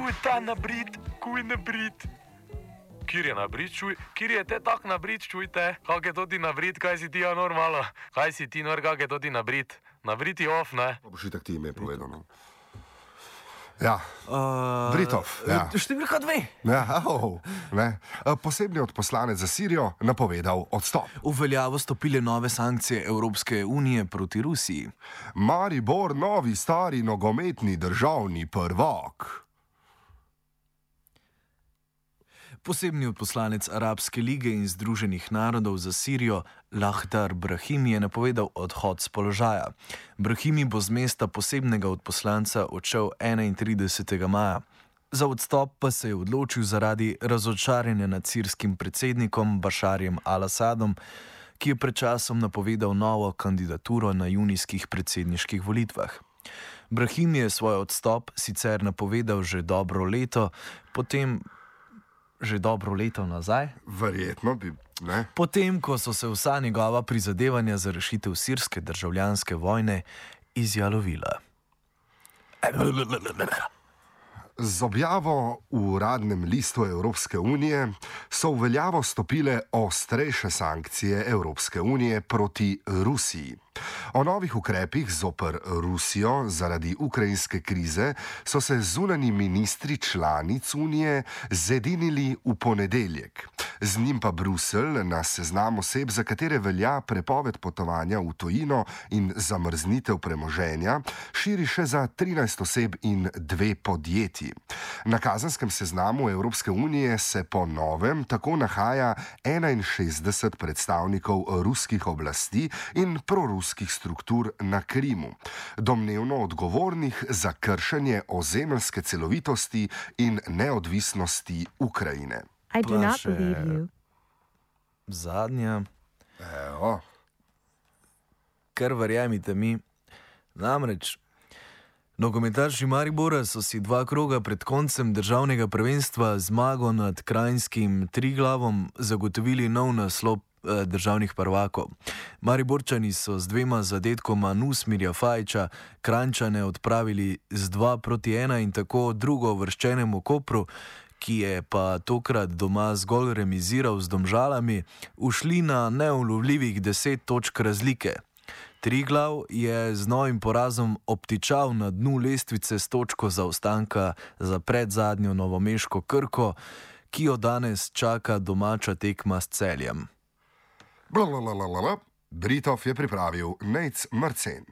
kuj ta nabrit, kuj nabrit. Kjer je nabrit, čuj, kjer je te tak nabrit, čujte, kak je to ti nabrit, kaj si ti normalno, kaj si ti nor, kak je to ti nabrit, nabrit je off, ne? Pa boš itak ti ime povedano. Ja, Britov. Ja. Številka 2. Ja, ne. Posebni odposlanec za Sirijo napovedal odstop. V veljavo stopile nove sankcije Evropske unije proti Rusiji. Maribor, novi stari nogometni državni prvak. Posebni odposlanec Arabske lige in Združenih narodov za Sirijo Lakhdar Brahimi je napovedal odhod z položaja. Brahimi bo z mesta posebnega odposlanca odšel 31. maja. Za odstop pa se je odločil zaradi razočaranja nad sirskim predsednikom Bašarjem al-Asadom, ki je pred časom napovedal novo kandidaturo na junijskih predsedniških volitvah. Brahimi je svoj odstop sicer napovedal že dobro leto nazaj. Verjetno bi, ne? Potem, ko so se vsa njegova prizadevanja za rešitev sirske državljanske vojne izjalovila. Z objavo v uradnem listu Evropske unije so v veljavo stopile ostrejše sankcije Evropske unije proti Rusiji. O novih ukrepih zoper Rusijo zaradi ukrajinske krize so se zunanji ministri članic unije zedinili v ponedeljek. Z njim pa Bruselj na seznam oseb, za katere velja prepoved potovanja v tujino in zamrznitev premoženja, širi še za 13 oseb in 2 podjetji. Na kazanskem seznamu Evropske unije se po novem tako nahaja 61 predstavnikov ruskih oblasti in proruskih struktur na Krimu, domnevno odgovornih za kršenje ozemeljske celovitosti in neodvisnosti Ukrajine. I do not believe you. Zadnja, Evo. kar verjemite mi, namreč nogometaši Maribora so si 2 kroga pred koncem državnega prvenstva zmago nad kranjskim Triglavom zagotovili nov naslov državnih prvakov. Mariborčani so z 2 zadetkoma Nusmirja Fajiča Kranjčane odpravili z 2-1 in tako drugouvrščenemu Kopru, ki je pa tokrat doma zgolj remiziral z Domžalami, ušli na neulovljivih 10 točk razlike. Triglav je z novim porazom obtičal na dnu lestvice s točko zaostanka za predzadnjo novomeško Krko, ki jo danes čaka domača tekma s Celjem. Blablabla. Britov je pripravil Nejc Marcen.